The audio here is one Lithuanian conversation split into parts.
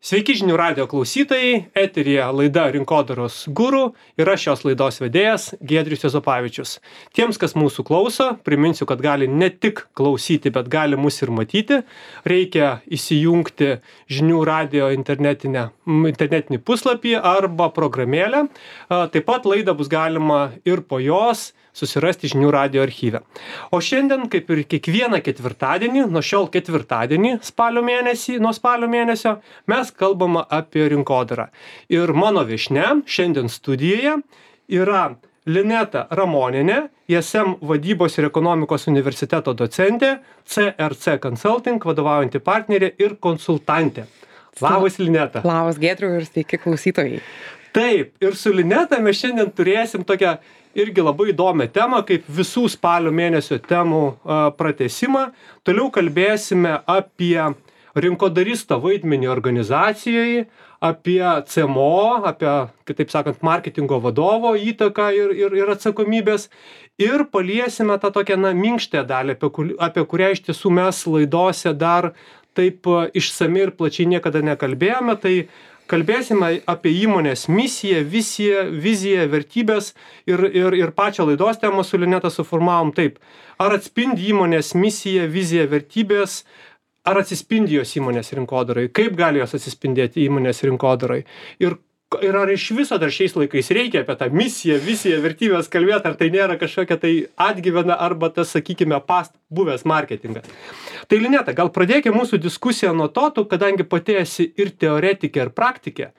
Sveiki žinių radijo klausytojai, eteryje laida Rinkodaros guru ir aš šios laidos vedėjas Giedrius Juozapavičius. Tiems, kas mūsų klauso, priminsiu, kad gali ne tik klausyti, bet gali mus ir matyti. Reikia įsijungti žinių radijo internetinį puslapį arba programėlę. Taip pat laidą bus galima ir po jos susirasti žinių radijo archyve. O šiandien, kaip ir kiekvieną ketvirtadienį, nuo šiol ketvirtadienį nuo spalio mėnesio, mes kalbame apie rinkodarą. Ir mano viešnia šiandien studijoje yra Lineta Ramonienė, ISM vadybos ir ekonomikos universiteto docentė, CRC Consulting vadovaujanti partnerė ir konsultantė. Labas, Lineta. Labas, Giedriau, ir sveiki klausytojai. Taip, ir su Lineta mes šiandien turėsim tokią irgi labai įdomią temą, kaip visų spalio mėnesio temų pratęsimą. Toliau kalbėsime apie rinkodaristo vaidmenį organizacijoje, apie CMO, apie, kitaip sakant, marketingo vadovo įtaką ir atsakomybės. Ir paliesime tą tokią minkštą dalį, apie kurią iš tiesų mes laidose dar taip išsamiai ir plačiai niekada nekalbėjome. Tai kalbėsime apie įmonės misiją, viziją, vertybės ir pačią laidos temą su Lineta suformavom taip. Ar atspindi įmonės misiją, viziją, vertybės, ar atsispindi jos įmonės rinkodarai? Kaip gali jos atsispindėti įmonės rinkodarai? Ir ar iš viso dar šiais laikais reikia apie tą misiją, viziją, vertybės kalbėti, ar tai nėra kažkokia tai atgyvena arba tas, sakykime, buvęs marketingas. Tai Lineta, gal pradėkime mūsų diskusiją nuo to, tu, kadangi pati esi ir teoretikė, ir praktikė,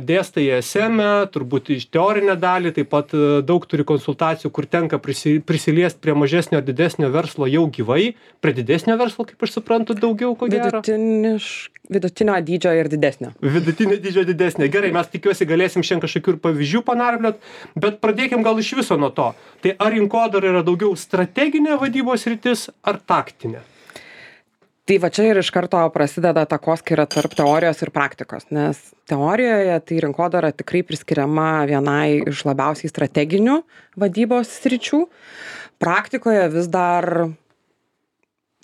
dėstai ISM, turbūt iš teorinę dalį, taip pat daug turi konsultacijų, kur tenka prisiliesti prie mažesnio ar didesnio verslo jau gyvai, prie didesnio verslo, kaip aš suprantu, daugiau ko gero. Vidutinio dydžio ir didesnio. Vidutinio dydžio didesnio. Gerai, mes tikiuosi galėsim šiandien kažkokių ir pavyzdžių panarpliot, bet pradėkim gal iš viso nuo to. Tai ar rinkodara yra daugiau strateginė vadybos sritis ar taktinė? Tai va čia ir iš karto prasideda takoskyra tarp teorijos ir praktikos, nes teorijoje tai rinkodara tikrai priskiriama vienai iš labiausiai strateginių vadybos sričių. Praktikoje vis dar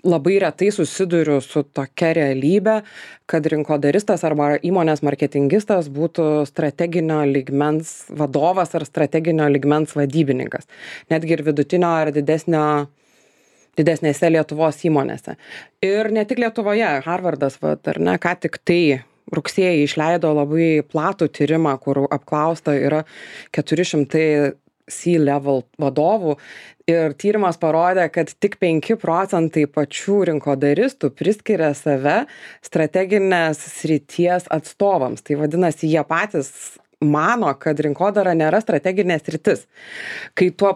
labai retai susiduriu su tokia realybė, kad rinkodaristas arba įmonės marketingistas būtų strateginio lygmens vadovas ar strateginio lygmens vadybininkas. Netgi ir vidutinio ar didesnėse Lietuvos įmonėse. Ir ne tik Lietuvoje, Harvardas, ką tik tai rugsėjį išleido labai platų tyrimą, kur apklausta yra 400 C-level vadovų. Ir tyrimas parodė, kad tik 5% pačių rinkodaristų priskiria save strateginės srities atstovams. Tai vadinasi, jie patys mano, kad rinkodara nėra strateginė sritis. Kai tuo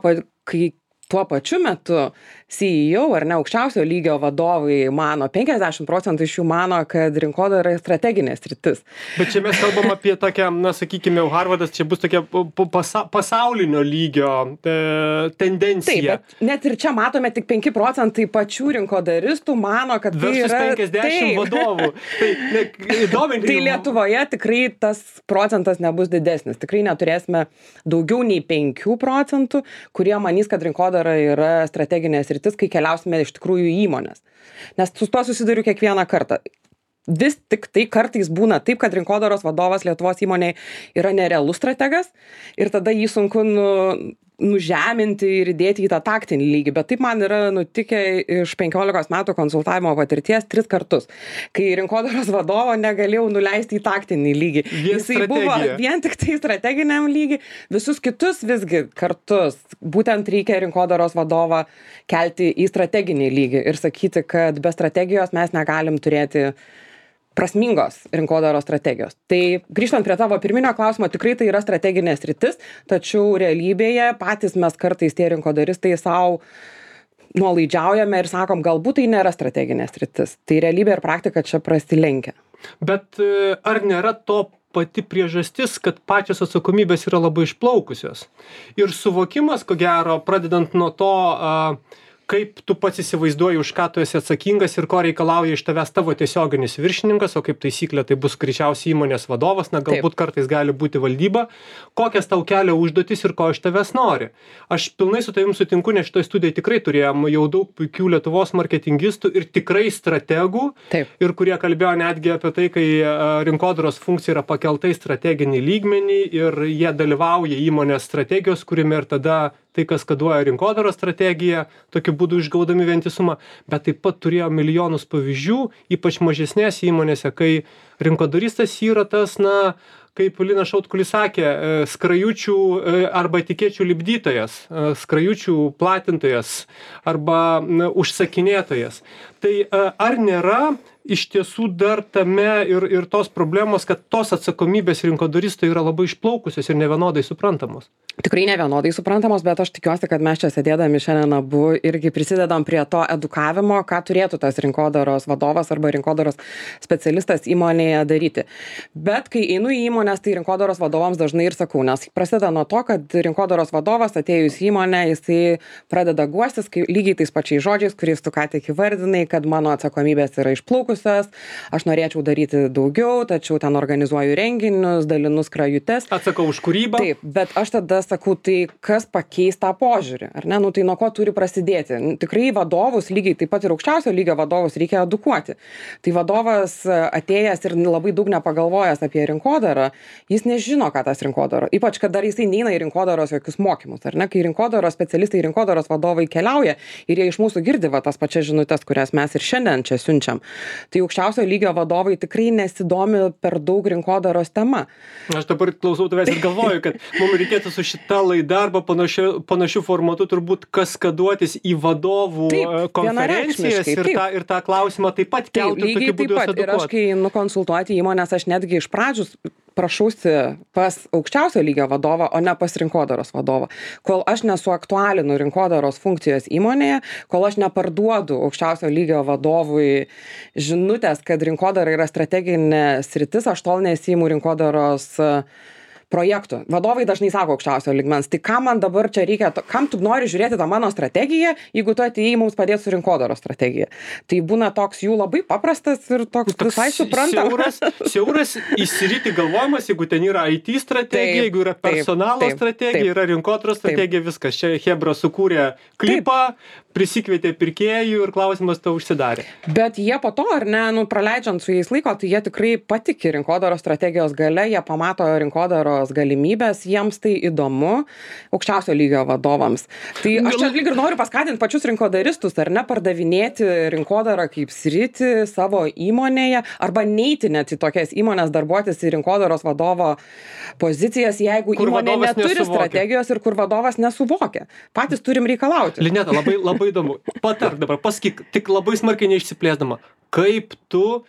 pačiu metu CEO ar ne aukščiausio lygio vadovai mano, 50% iš jų mano, kad rinkodara yra strateginė sritis. Bet čia mes kalbam apie tokią, sakykime, Harvardas, čia bus tokia pasaulinio lygio tendencija. Taip, bet net ir čia matome tik 5% pačių rinkodaristų mano, kad tai yra 50 vadovų. Tai Lietuvoje tikrai tas procentas nebus didesnis. Tikrai neturėsime daugiau nei 5%, kurie manys, kad rinkodara yra strateginė sritis, kai keliausime iš tikrųjų į įmonės. Nes su tuo susiduriu kiekvieną kartą. Vis tik tai kartais būna taip, kad rinkodaros vadovas Lietuvos įmonėje yra nerealus strategas ir tada jį sunku nužeminti ir įdėti į tą taktinį lygį. Bet taip man yra nutikę iš 15 metų konsultavimo patirties 3 kartus, kai rinkodaros vadovo negalėjau nuleisti į taktinį lygį. Jisai buvo vien tik tai strateginiam lygį, visus kitus visgi kartus. Būtent reikia rinkodaros vadovą kelti į strateginį lygį ir sakyti, kad be strategijos mes negalim turėti prasmingos rinkodaros strategijos. Tai grįžtant prie tavo pirminio klausimo, tikrai tai yra strateginė sritis, tačiau realybėje patys mes kartais tie rinkodaristai savo nuolaidžiaujame ir sakom, galbūt tai nėra strateginė sritis. Tai realybė ir praktika čia prasilenkia. Bet ar nėra to pati priežastis, kad pačios atsakomybės yra labai išplaukusios? Ir suvokimas, ko gero, pradedant nuo to, kaip tu pats įsivaizduoji, už ką tu esi atsakingas ir ko reikalauja iš tavęs tavo tiesioginis viršininkas, o kaip taisyklė tai bus greičiausiai įmonės vadovas, na galbūt kartais gali būti valdyba, kokias tau kelia užduotis ir ko iš tavęs nori. Aš pilnai su tavim sutinku, nes šitoje studijoje tikrai turėjom jau daug puikių Lietuvos marketingistų ir tikrai strategų, ir kurie kalbėjo netgi apie tai, kai rinkodaros funkcija yra pakelta į strateginį lygmenį ir jie dalyvauja įmonės strategijos kūrime ir tada tai kaskaduoja rinkodaros strategiją, tokiu būdu išgaudami vientisumą, bet taip pat turėjo milijonus pavyzdžių, ypač mažesnėse įmonėse, kai rinkodaristas yra tas, na, kaip Linas Šautkulis sakė, skrajučių arba etikečių lipdytojas, skrajučių platintojas arba užsakinėtojas. Tai ar nėra iš tiesų dar tame ir tos problemos, kad tos atsakomybės rinkodaristai yra labai išplaukusios ir nevienodai suprantamos? Tikrai nevienodai suprantamos, bet aš tikiuosi, kad mes čia sėdėdami šiandien abu irgi prisidedam prie to edukavimo, ką turėtų tas rinkodaros vadovas arba rinkodaros specialistas įmonėje daryti. Bet kai einu į įmonės, tai rinkodaros vadovams dažnai ir sakau, nes prasideda nuo to, kad rinkodaros vadovas atėjus į įmonę, jisai pradeda guostis lygiai tais pačiais žodžiais, kuriais tu ką tik įvardinai, kad mano atsakomybės yra išplaukusios, aš norėčiau daryti daugiau, tačiau ten organizuoju renginius, dalinu skrajutes. Atsakau už kūrybą. Taip, bet aš tada sakau, tai kas pakeis tą požiūrį, ar ne? Nu, tai nuo ko turi prasidėti? Tikrai vadovus, lygiai taip pat ir aukščiausio lygio vadovus reikia edukuoti. Tai vadovas atėjęs ir labai daug nepagalvojęs apie rinkodarą, jis nežino, ką tas rinkodara. Ypač, kad dar jisai neina į rinkodaros jokius mokymus, ar ne? Kai rinkodaros specialistai, rinkodaros vadovai keliauja ir jie iš mūsų girdi tas pačias žinutes, kurias mes ir šiandien čia siunčiam. Tai aukščiausio lygio vadovai tikrai nesidomi per daug rinkodaros tema. Aš dabar klausau tavęs ir galvoju, kad mums reikėtų su šita laida arba panašiu formatu turbūt kaskaduotis į vadovų konferencijas ir tą klausimą taip pat kelti ir tokiu būdu edukuoti. Ir aš, kai nukonsultuoti įmonės, aš netgi iš pradžių prašausi pas aukščiausio lygio vadovą, o ne pas rinkodaros vadovą. Kol aš nesuaktualinu rinkodaros funkcijos įmonėje, kol aš neparduodu aukščiausio lygio vadovui žinutės, kad rinkodara yra strateginė sritis, aš tol nesiimu rinkodaros projektų. Vadovai dažnai sako aukščiausio lygmens, tai kam man dabar čia reikia, kam tu nori žiūrėti tą mano strategiją, jeigu tu atėjai mums padėti su rinkodaros strategija. Tai būna toks jų labai paprastas ir toks visai suprantamas. Siauras įsiryti galvojimas, jeigu ten yra IT strategija, jeigu yra personalo strategija, yra rinkodaros strategija, viskas. Čia Hebra sukūrė klipą, prisikvietė pirkėjų ir klausimas tau užsidarė. Bet jie po to, ar ne, praleidžiant su jais laiko, tai jie tikrai patiki rinkodaros strategijos gale, jie pamato rinkodaros galimybės, jiems tai įdomu aukščiausio lygio vadovams. Tai aš čia lyg ir noriu paskatinti pačius rinkodaristus, ar ne, pardavinėti rinkodarą kaip sritį savo įmonėje, arba neiti net į tokias įmonės darbuotis į rinkodaros vadovo pozicijas, jeigu įmonė neturi strategijos ir kur vadovas nesuvokia. Patys turim reikalauti. Lineta, labai įdomu. Patark dabar, pasakyk, tik labai smarkiai neišsiplėsdama, kaip tu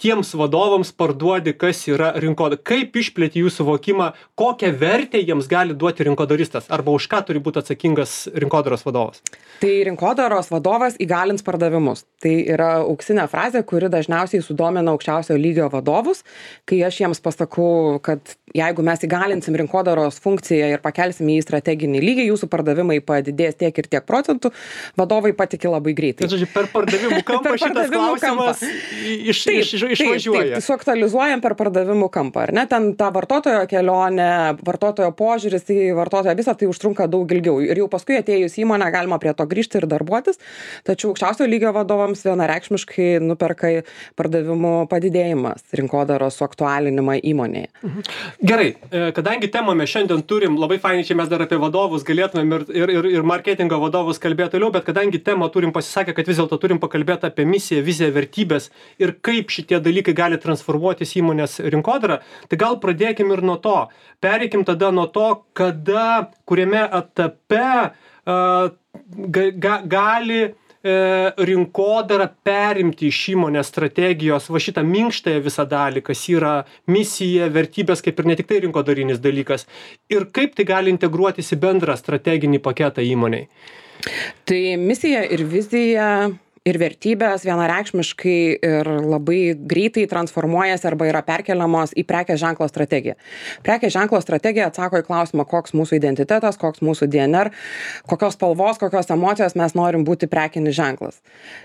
tiems vadovams parduodi, kas yra rinkodara, kaip išplėti jų suvokimą, kokią vertę jiems gali duoti rinkodaristas, arba už ką turi būti atsakingas rinkodaros vadovas. Tai rinkodaros vadovas įgalins pardavimus. Tai yra auksinė frazė, kuri dažniausiai sudomina aukščiausio lygio vadovus, kai aš jiems pasakau, kad jeigu mes įgalinsim rinkodaros funkciją ir pakelsim į strateginį lygį, jūsų pardavimai padidės tiek ir tiek procentų, vadovai patiki labai greitai. Tai, žodžiu, per pardavimų kampą šitas klausimas išvažiuoja. Taip, suaktualizuojam per pardavimų kampą, ar ne? Ten ta vartotojo kelionė, vartotojo požiūris į vartotoją, visą tai užtrunka daug ilgiau. Ir jau paskui atėjus įmonę galima prie to grįžti ir darbuotis, tačiau aukščiausio lygio vadovams vienareikšmiškai nuperka pardavimų padidėjimas, rinkodaros suaktualinimą įmonėje. Gerai, kadangi temą mes šiandien turim, labai fainai čia mes dar apie vadovus galėtumėm ir marketingo vadovus kalbėti toliau, bet kadangi temą turim pasisakę, kad vis dėlto turim pakalbėti apie misiją, viziją, vertybės ir kaip šitie dalykai gali transformuotis įmonės rinkodarą, tai gal pradėkim ir nuo to. Pereikim tada nuo to, kuriame etape gali rinkodara perimti iš įmonės strategijos va šitą minkštąją visą dalį, kas yra misija, vertybės, kaip ir ne tik tai rinkodarinis dalykas, ir kaip tai gali integruotis į bendrą strateginį paketą įmonei. Tai misija ir vizija ir vertybės vienareikšmiškai ir labai greitai transformuojasi arba yra perkeliamos į prekės ženklo strategiją. Prekės ženklo strategija atsako į klausimą, koks mūsų identitetas, koks mūsų DNR, kokios spalvos, kokios emocijos mes norim būti prekinis ženklas.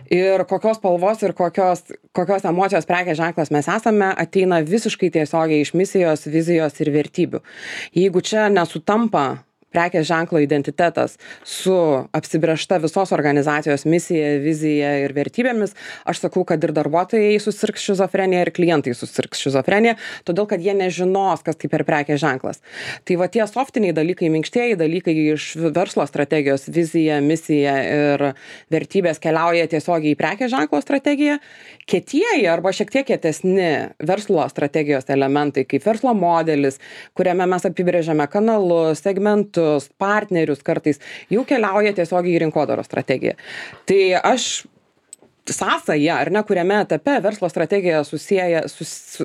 Ir kokios spalvos ir kokios emocijos prekės ženklas mes esame, ateina visiškai tiesiogiai iš misijos, vizijos ir vertybių. Jeigu čia nesutampa prekės ženklo identitetas su apsibrėžta visos organizacijos misija, vizija ir vertybėmis, aš sakau, kad ir darbuotojai susirgs šizofrenija ir klientai susirgs šizofrenija, todėl kad jie nežinos, kas tai per prekės ženklas. Tai va tie softiniai dalykai, minkštieji dalykai iš verslo strategijos, vizija, misija ir vertybės keliauja tiesiogiai į prekės ženklo strategiją. Kietieji arba šiek tiek kietesni verslo strategijos elementai, kaip verslo modelis, kuriame mes apibrėžiame kanalus, segmentus, partnerius kartais, jau keliauja tiesiogiai į rinkodaros strategiją. Tai aš sąsaja, ar ne, kuriame etape verslo strategija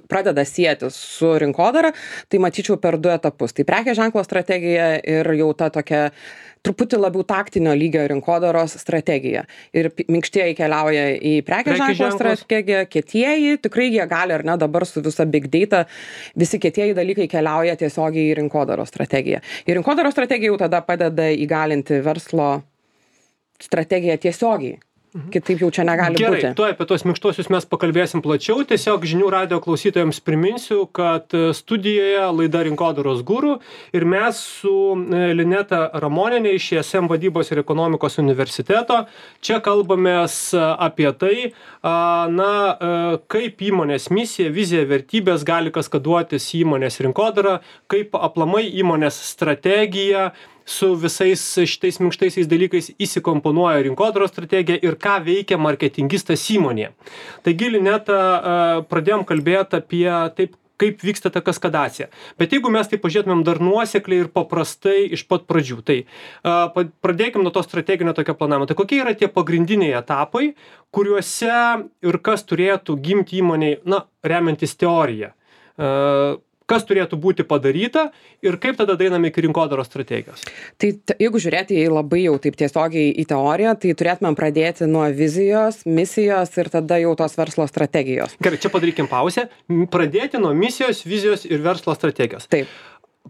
pradeda sieti su rinkodara, tai matyčiau per 2 etapus. Tai prekės ženklo strategija ir jau ta tokia truputį labiau taktinio lygio rinkodaros strategija. Ir minkštieji keliauja į prekės ženklo strategiją, kietieji, tikrai jie gali, ar ne, dabar su visa big data, visi kietieji dalykai keliauja tiesiogiai į rinkodaros strategiją. Ir rinkodaros strategija jau tada padeda įgalinti verslo strategiją tiesiogiai. Kitaip jau čia negali būti. Gerai, tuoj apie tos minkštuosius mes pakalbėsim plačiau. Tiesiog žinių radijo klausytojams priminsiu, kad studijoje laida Rinkodaros guru ir mes su Lineta Ramonienė iš ISM vadybos ir ekonomikos universiteto čia kalbamės apie tai, kaip įmonės misija, vizija, vertybės gali kaskaduotis įmonės rinkodarą, kaip aplamai įmonės strategija su visais šitais minkštaisiais dalykais įsikomponuoja rinkodaros strategija ir ką veikia marketingistas įmonėje. Taigi, Lineta, pradėjom kalbėti apie taip, kaip vyksta ta kaskadacija. Bet jeigu mes tai pažiūrėtumėm dar nuosekliai ir paprastai iš pat pradžių, tai pradėkim nuo to strateginio tokio planavimo. Tai kokie yra tie pagrindiniai etapai, kuriuose ir kas turėtų gimti įmonei, remiantis teoriją? Kas turėtų būti padaryta ir kaip tada daeiname iki rinkodaros strategijos? Tai jeigu žiūrėti labai jau taip tiesiogiai į teoriją, tai turėtumėm pradėti nuo vizijos, misijos ir tada jau tos verslo strategijos. Gerai, čia padarykim pauzę. Pradėti nuo misijos, vizijos ir verslo strategijos. Taip.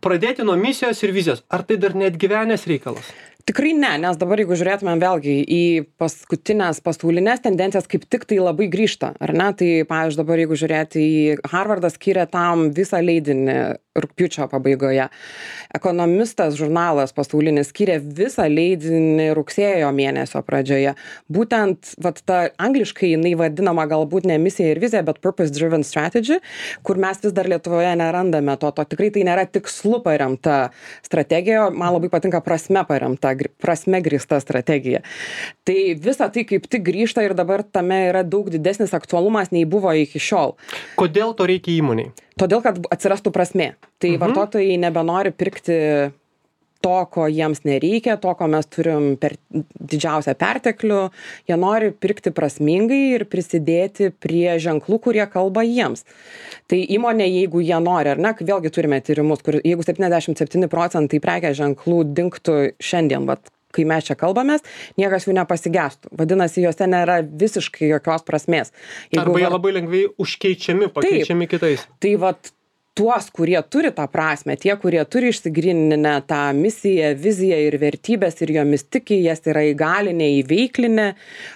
Pradėti nuo misijos ir vizijos. Ar tai dar net gyvenęs reikalas? Tikrai ne, nes dabar jeigu žiūrėtumėm vėlgi į paskutinės pasaulinės tendencijas, kaip tik tai labai grįžta, ar ne? Tai, pavyzdžiui, dabar jeigu žiūrėti į Harvardas skyrė tam visą leidinį rugpjūčio pabaigoje. Ekonomistas žurnalas pasaulinis skyrė visą leidinį rugsėjo mėnesio pradžioje. Būtent, ta angliškai jinai vadinama galbūt ne misija ir vizija, bet purpose driven strategy, kur mes vis dar Lietuvoje nerandame to. Tikrai tai nėra tikslu paremta strategija, man labai patinka prasme paremta, prasme grįsta strategija. Tai visa tai kaip tik grįžta ir dabar tame yra daug didesnis aktualumas nei buvo iki šiol. Kodėl to reikia įmoniai? Todėl, kad atsirastų prasmė. Tai vartotojai nebenori pirkti to, ko jiems nereikia, to, ko mes turim per didžiausią perteklių. Jie nori pirkti prasmingai ir prisidėti prie ženklų, kurie kalba jiems. Tai įmonė, jeigu jie nori, ar ne, vėlgi turime tyrimus, kur jeigu 77% prekės ženklų dingtų šiandien, kai mes čia kalbamės, niekas jų nepasigestų. Vadinasi, juose nėra visiškai jokios prasmės. Arba jie labai lengvai užkeičiami, pakeičiami kitais. Tai tuos, kurie turi tą prasmę, tie, kurie turi išsigryninę tą misiją, viziją ir vertybės ir jomis tiki, jas yra įgalinę, įveiklinę,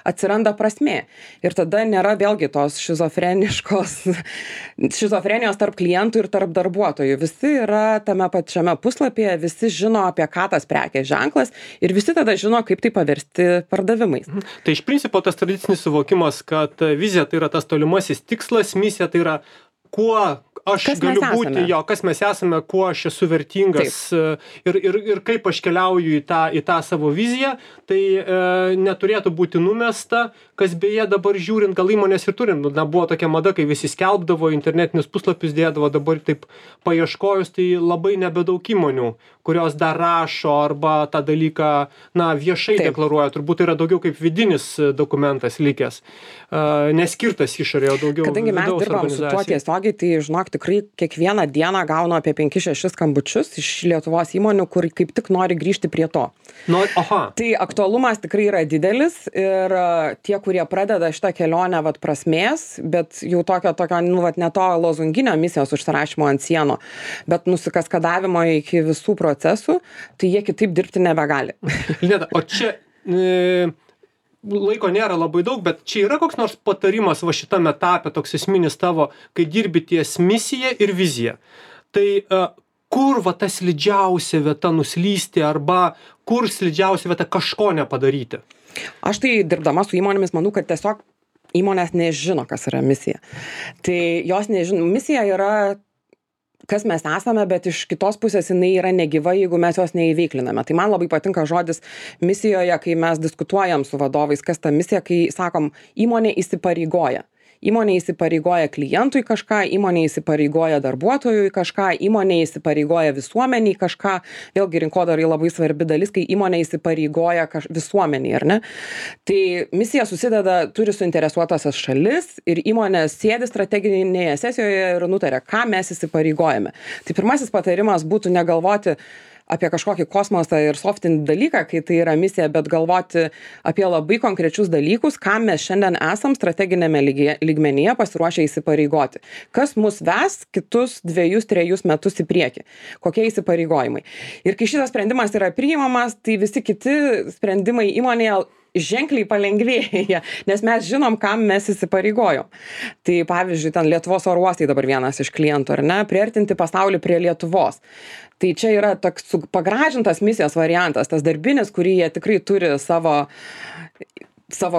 atsiranda prasmė. Ir tada nėra vėlgi tos šizofrenijos tarp klientų ir tarp darbuotojų. Visi yra tame pačiame puslapyje, visi žino, apie ką tas prekės ženklas ir visi tada žino, kaip tai paversti pardavimais. Tai iš principo tas tradicinis suvokimas, kad vizija tai yra tas tolimasis tikslas, misija tai yra kuo aš galiu būti, kas mes esame, kuo aš esu vertingas ir kaip aš keliauju į tą savo viziją, tai neturėtų būti numesta, kas beje dabar žiūrint, gal įmonės ir turim. Buvo tokia mada, kai visi skelbdavo, internetinius puslapius dėdavo, dabar taip paieškojus, tai labai nebedaug įmonių, kurios dar rašo arba tą dalyką, viešai deklaruoja, turbūt yra daugiau kaip vidinis dokumentas likęs, neskirtas išorėje, daugiau kadangi mes dirbam su tuo tiesiogiai, tai žinok, tikrai kiekvieną dieną gaunu apie 5-6 skambučius iš Lietuvos įmonių, kur kaip tik nori grįžti prie to. Tai aktualumas tikrai yra didelis ir tie, kurie pradeda šitą kelionę prasmės, bet jau tokio ne to lozunginio misijos užsirašymo ant sienų, bet nusikaskadavimo iki visų procesų, tai jie kitaip dirbti nebegali. Lineta, o čia laiko nėra labai daug, bet čia yra koks nors patarimas šitame etape, toks esminis tavo, kai dirbi ties misija ir vizija. Tai kur ta slidžiausia vieta nuslysti arba kur slidžiausia vieta kažko nepadaryti? Aš tai dirbdama su įmonėmis manau, kad tiesiog įmonės nežino, kas yra misija. Tai jos nežino, misija yra, kas mes esame, bet iš kitos pusės jinai yra negyva, jeigu mes jos neįveikliname. Tai man labai patinka žodis misijoje, kai mes diskutuojam su vadovais, kas ta misija, kai sakom, įmonė įsipareigoja. Įmonė įsipareigoja klientui kažką, įmonė įsipareigoja darbuotojui kažką, įmonė įsipareigoja visuomeniai kažką. Vėlgi rinkodarai labai svarbi dalis, kai įmonė įsipareigoja visuomeniai, ar ne? Tai misija susideda, turi suinteresuotasias šalis ir įmonė sėdi strateginėje sesijoje ir nutarė, ką mes įsipareigojame. Tai pirmasis patarimas būtų negalvoti apie kažkokį kosmosą ir softinį dalyką, kai tai yra misija, bet galvoti apie labai konkrečius dalykus, ką mes šiandien esam strateginėme lygmenyje pasiruošę įsipareigoti. Kas mus ves kitus 2-3 metus į priekį? Kokie įsipareigojimai? Ir kai šitas sprendimas yra priimamas, tai visi kiti sprendimai įmonėje ženkliai palengvėja, nes mes žinom, kam mes įsipareigojom. Tai pavyzdžiui, ten Lietuvos oro uostai dabar vienas iš klientų, ar ne, priartinti pasaulį prie Lietuvos. Tai čia yra toks pagražintas misijos variantas, tas darbinis, kurį jie tikrai turi savo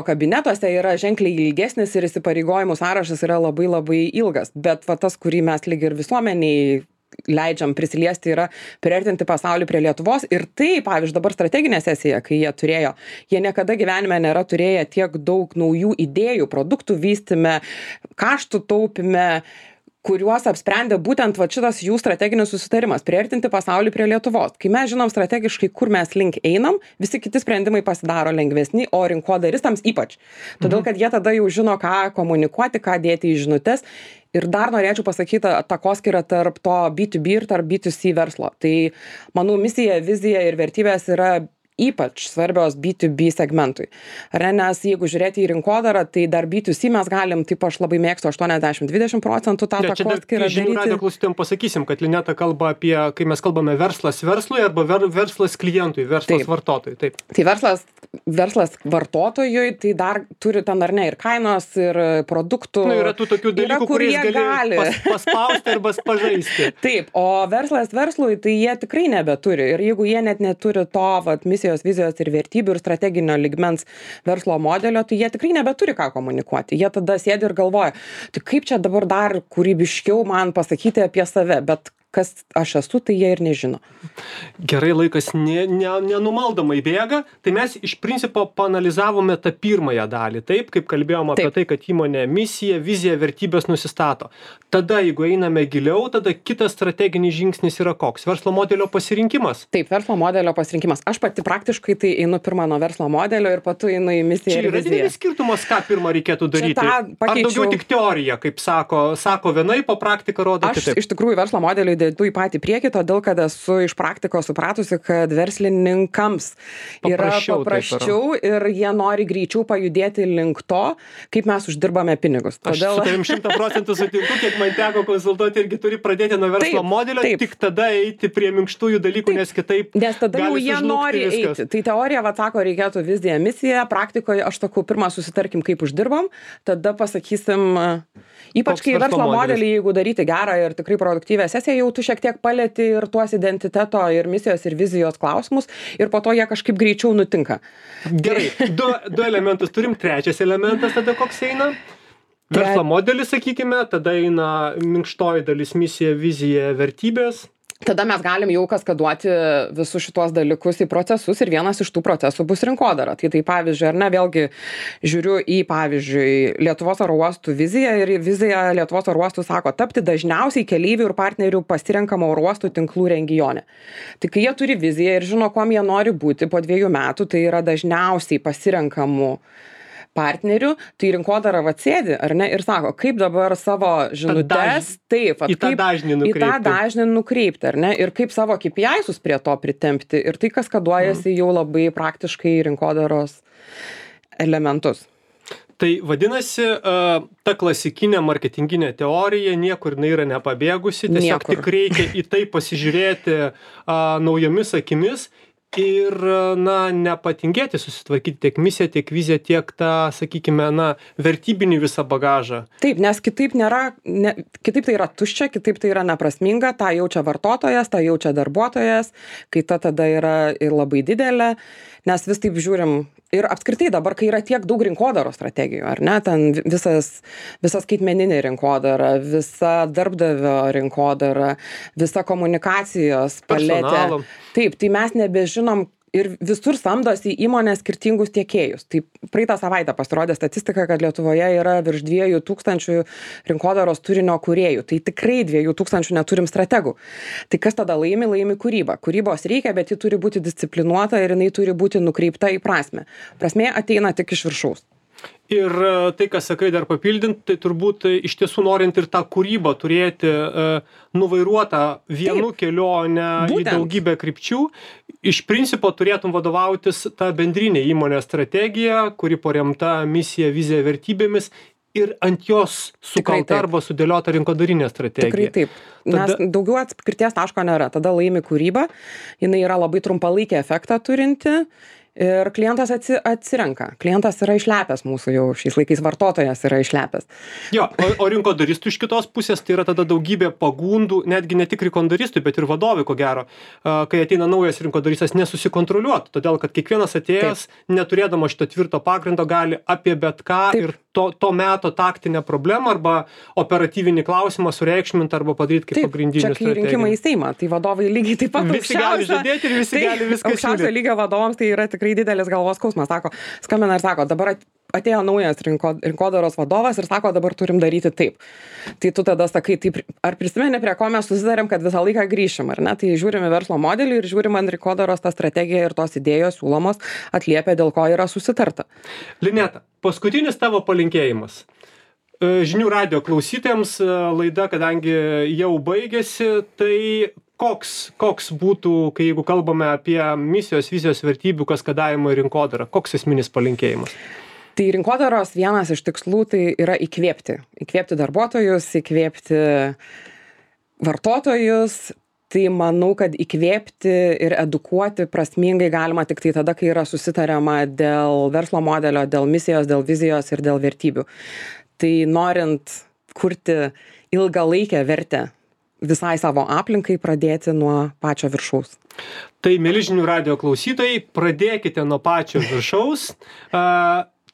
kabinetuose, yra ženkliai ilgesnis ir įsipareigojimų sąrašas yra labai labai ilgas. Bet tas, kurį mes lyg ir visuomeniai leidžiam prisiliesti, yra priartinti pasaulį prie Lietuvos. Ir tai, pavyzdžiui, dabar strateginė sesija, kai jie turėjo, jie niekada gyvenime nėra turėję tiek daug naujų idėjų, produktų vystyme, kaštų taupime, kuriuos apsprendė būtent šitas jų strateginis susitarimas – priartinti pasaulį prie Lietuvos. Kai mes žinom strategiškai, kur mes link einam, visi kiti sprendimai pasidaro lengvesni, o rinkodaristams ypač. Todėl, kad jie tada jau žino, ką komunikuoti, ką dėti į žinutes. Ir dar norėčiau pasakyti takoskyrą tarp to B2B ir tarp B2C verslo. Tai, manau, misija, vizija ir vertybės yra ypač svarbios B2B segmentui. Nes jeigu žiūrėti į rinkodarą, tai dar B2C mes galim, taip aš labai mėgstu 80-20% tą takoskyrą daryti. Žinių radijo klausytojams pasakysim, kad Lineta kalba apie, kai mes kalbame verslas verslui arba verslas klientui, verslas vartotojui. Taip. Tai verslas vartotojui, tai dar turi ten ar ne ir kainos, ir produktų. Yra tų tokių dalykų, kuriais gali paspausti arba pažaisti. Taip, o verslas verslui, tai jie tikrai nebeturi. Ir jeigu jie net neturi to misijos, vizijos ir vertybių ir strateginio lygmens verslo modelio, tai jie tikrai nebeturi ką komunikuoti. Jie tada sėdi ir galvoja, tai kaip čia dabar dar kūrybiškiau man pasakyti apie save, bet kas aš esu, tai jie ir nežino. Gerai, laikas nenumaldamai bėga, tai mes iš principo paanalizavome tą pirmąją dalį, taip, kaip kalbėjom apie tai, kad įmonė misiją, viziją, vertybės nusistato. Tada, jeigu einame giliau, tada kitas strateginis žingsnis yra koks? Verslo modelio pasirinkimas? Taip, verslo modelio pasirinkimas. Aš pati praktiškai tai einu pirmą nuo verslo modelio ir patu einu į misiją ir viziją. Čia yra didelis skirtumas, ką pirmą reikėtų daryti? Ar daugiau tik teorija, kaip sako vienaip, o praktika rodo kitaip? Aš iš tikrųjų verslo modeliui dedu į patį priekį, todėl kad esu iš praktikos supratusi, kad verslininkams yra paprasčiau ir jie nori greičiau pajudėti link to, kaip mes uždirbame pinigus. Todėl... Aš su tavim 100% sutinku, kiek man teko konsultuoti, irgi turi pradėti nuo verslo modelio, tik tada eiti prie minkštųjų dalykų, nes kitaip nes tada jau jie nori eiti. Tai teorija, sako, reikėtų viziją, misiją, praktikoje aš sakau, pirmą susitarkim, kaip uždirbam, tada pasakysim, ypač kai verslo modelį, jeigu daryti gerą ir tikrai produktyvę sesiją, jau tu šiek tiek palieti ir tuos identiteto ir misijos ir vizijos klausimus ir po to jie kažkaip greičiau nutinka. Gerai, du elementus turim, trečias elementas tada koks eina? Verslo modelis, sakykime, tada eina minkštoji dalis misija, vizija, vertybės. tada mes galim jau kaskaduoti visus šitos dalykus į procesus ir vienas iš tų procesų bus rinkodara. Tai pavyzdžiui, ar ne, vėlgi žiūriu į, pavyzdžiui, Lietuvos oro uostų viziją ir vizija Lietuvos oro uostų sako tapti dažniausiai keleivių ir partnerių pasirenkamo oro uostų tinklų regione. Tai kai jie turi viziją ir žino, kuom jie nori būti po 2 metų, tai yra dažniausiai pasirenkamų partnerių, tai rinkodara atsėdi, ar ne, ir sako, kaip dabar savo žinutes, taip, į tą dažnį nukreipti, ar ne, ir kaip savo KPI-sus prie to pritempti, ir tai kaskaduojasi jau labai praktiškai rinkodaros elementus. Tai vadinasi, ta klasikinė marketinginė teorija niekur yra nepabėgusi, tiesiog tik reikia į tai pasižiūrėti naujomis akimis. Ir, nepatingėti susitvarkyti tiek misiją, tiek viziją, tiek tą, sakykime, vertybinį visą bagažą. Taip, nes kitaip tai yra tuščia, kitaip tai yra neprasminga, tą jaučia vartotojas, tą jaučia darbuotojas, kai tada yra ir labai didelė, nes vis taip žiūrim. Ir apskritai dabar, kai yra tiek daug rinkodaros strategijų, ar ne, ten visa skaitmeninė rinkodara, visa darbdavio rinkodara, visa komunikacijos paletė. Personalo. Taip, tai mes nebežinom ir visur samdosi įmonės skirtingus tiekėjus. Tai praeitą savaitę pasirodė statistika, kad Lietuvoje yra virš 2000 rinkodaros turinio kūrėjų. Tai tikrai 2000 neturim strategų. Tai kas tada laimi? Laimi kūryba. Kūrybos reikia, bet ji turi būti disciplinuota ir jinai turi būti nukreipta į prasmę. Prasmė ateina tik iš viršaus. Ir tai, ką sakai, dar papildint, tai turbūt iš tiesų norint ir tą kūrybą turėti nuvairuotą vienu keliu, o ne į daugybę krypčių, iš principo turėtum vadovautis tą bendrinę įmonės strategiją, kuri paremta misija, vizija, vertybėmis ir ant jos sukalta arba sudėliota rinkodarinė strategija. Tikrai taip. Nes daugiau atskirties taško nėra. Tada laimi kūryba, jinai yra labai trumpalaikį efektą turinti. Ir klientas atsirenka. Klientas yra išlepęs mūsų jau šiais laikais, vartotojas yra išlepęs. Jo, o rinkodaristų iš kitos pusės tai yra tada daugybė pagundų, netgi ne tik rinkodaristui, bet ir vadovui, ko gero, kai ateina naujas rinkodaristas nesusikontroliuoti, todėl kad kiekvienas atėjęs, neturėdama šito tvirto pagrindo, gali apie bet ką ir to meto taktinę problemą arba operatyvinį klausimą sureikšminti arba padaryti kaip pagrindinį strategiją. Čia kai rinkimai į Seimą, tai vadovai lygiai taip pat visi gali žadėti ir visi gali viską siūlyti. Aukščiausio lygio vadovams tai yra tikrai didelis galvos skausmas. Sako, skambina ir sako, dabar atėjo naujas rinkodaros vadovas ir sako, dabar turim daryti taip. Tai tu tada sakai, ar prisimeni, prie ko mes susidarėm, kad visą laiką grįšim, ar ne? Tai žiūrime verslo modelį ir žiūrime ant rinkodaros tą strategiją ir tos idėjos siūlomos atliepia, dėl ko yra susitarta. Lineta, paskutinis tavo palinkėjimas. Žinių radijo klausytėms laida, kadangi jau baigėsi, tai koks būtų, kai jeigu kalbame apie misijos, vizijos, vertybių kaskadavimą ir rinkodarą, koks esminis palinkėjimas? Tai rinkodaros vienas iš tikslų tai yra įkvėpti. Įkvėpti darbuotojus, įkvėpti vartotojus. Tai manau, kad įkvėpti ir edukuoti prasmingai galima tik tai tada, kai yra susitariama dėl verslo modelio, dėl misijos, dėl vizijos ir dėl vertybių. Tai norint kurti ilgalaikę vertę visai savo aplinkai, pradėti nuo pačio viršaus. Tai, mieli žinių radijo klausytojai, pradėkite nuo pačio viršaus.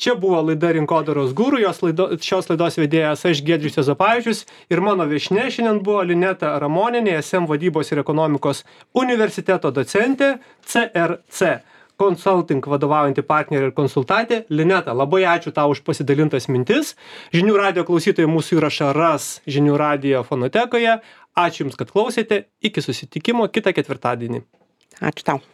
Čia buvo laida Rinkodaros guru, šios laidos vedėjas aš Giedrius Juozapavičius ir mano viešnia šiandien buvo Lineta Ramonienė, SM vadybos ir ekonomikos universiteto docentė, CRC Consulting vadovaujanti partnerė ir konsultantė. Lineta, labai ačiū tau už pasidalintas mintis. Žinių radijo klausytojai mūsų įrašą ras Žinių radijo fonotekoje. Ačiū Jums, kad klausėte. Iki susitikimo kitą ketvirtadienį. Ačiū tau.